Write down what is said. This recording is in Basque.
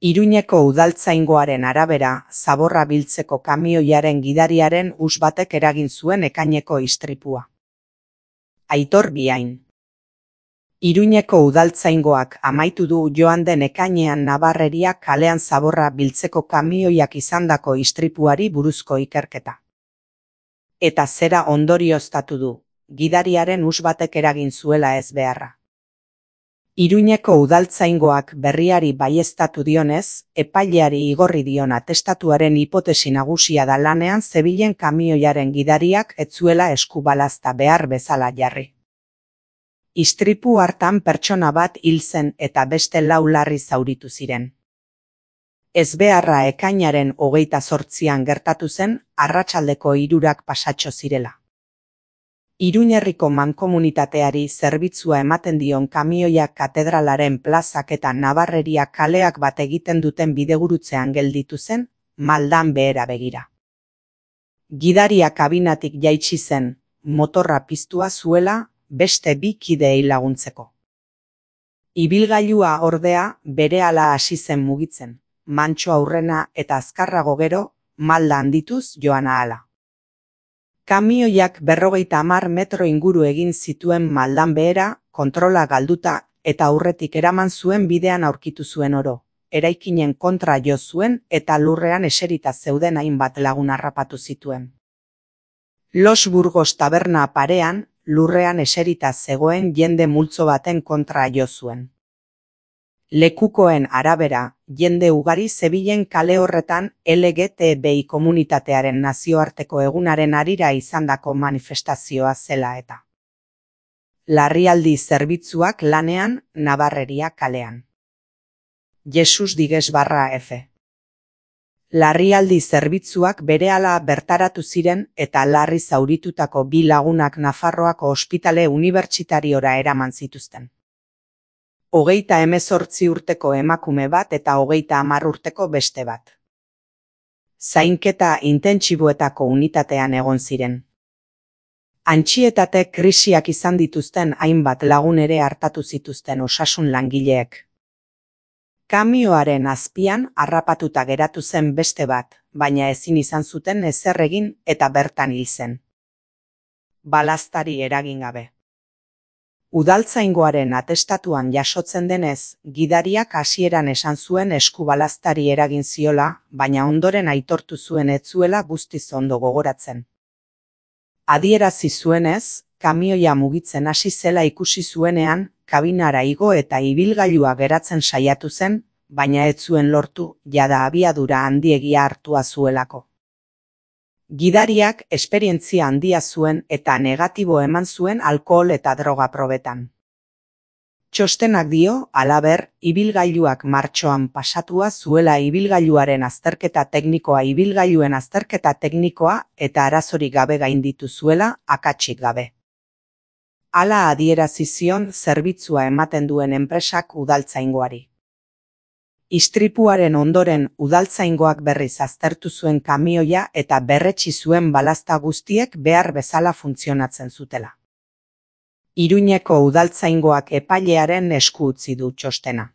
Iruñeko udaltzaingoaren arabera, zaborra biltzeko kamioiaren gidariaren hus batek eragin zuen ekaineko istripua. Aitor Biain. Iruñeko udaltzaingoak amaitu du joan den ekainean Nabarreria kalean zaborra biltzeko kamioiak izandako istripuari buruzko ikerketa. Eta zera ondorioztatu du, gidariaren hus batek eragin zuela ez beharra. Iruñeko udaltzaingoak berriari baieztatu dionez, epaileari igorri dion atestatuaren hipotesi nagusia da lanean zebilen kamioiaren gidariak ez zuela eskubalazta behar bezala jarri. Istripu hartan pertsona bat hil zen eta beste 4 larri zauritu ziren. Ezbeharra ekainaren 28an gertatu zen, arratsaldeko 3 pasatxo zirela. Iruñerriko mankomunitateari zerbitzua ematen dion kamioiak katedralaren plazak eta Nabarreria kaleak bat egiten duten bidegurutzean gelditu zen, maldan behera begira. Gidaria kabinatik jaitsi zen, motorra piztua zuela, beste 2 kideei laguntzeko. Ibilgailua ordea berehala hasi zen mugitzen, mantso aurrena eta azkarrago gero, malda handituz joan ahala. Kamioiak 50 metro inguru egin zituen maldan behera, kontrola galduta eta aurretik eraman zuen bidean aurkitu zuen oro. Eraikinen kontra jo zuen eta lurrean eserita zeuden hainbat lagun harrapatu zituen. Los Burgos taberna parean, lurrean eserita zegoen jende multzo baten kontra jo zuen. Lekukoen arabera, jende ugari zebilen kale horretan LGTBI komunitatearen nazioarteko egunaren harira izandako manifestazioa zela eta. Larrialdi zerbitzuak lanean, Nabarreria kalean. Jesus Diges/F. Larrialdi zerbitzuak berehala bertaratu ziren eta larri zauritutako 2 lagunak Nafarroako ospitale unibertsitariora eraman zituzten. 38 urteko emakume bat eta 30 urteko beste bat. Zainketa intentsiboetako unitatean egon ziren. Antsietate krisiak izan dituzten hainbat lagun ere hartatu zituzten osasun langileek. Kamioaren azpian harrapatuta geratu zen beste bat, baina ezin izan zuten ezer egin eta bertan hil zen. Balaztari eragin gabe. Udaltzaingoaren atestatuan jasotzen denez, gidariak hasieran esan zuen eskubalaztari eragin ziola, baina ondoren aitortu zuen ez zuela guztiz ondo gogoratzen. Adierazi zuenez, kamioia mugitzen hasi zela ikusi zuenean, kabinara igo eta ibilgailua geratzen saiatu zen, baina ez zuen lortu, jada abiadura handiegia hartua zuelako. Gidariak esperientzia handia zuen eta negatibo eman zuen alkohol eta droga probetan. Txostenak dio, halaber, ibilgailuak martxoan pasatua zuela ibilgailuaren azterketa teknikoa ibilgailuen azterketa teknikoa eta arazorik gabe gainditu zuela, akatsik gabe. Hala adierazi zion zerbitzua ematen duen enpresak udaltzaingoari. Istripuaren ondoren udaltzaingoak berriz aztertu zuen kamioia eta berretsi zuen balazta guztiek behar bezala funtzionatzen zutela. Iruñeko udaltzaingoak epailearen esku utzi du txostena.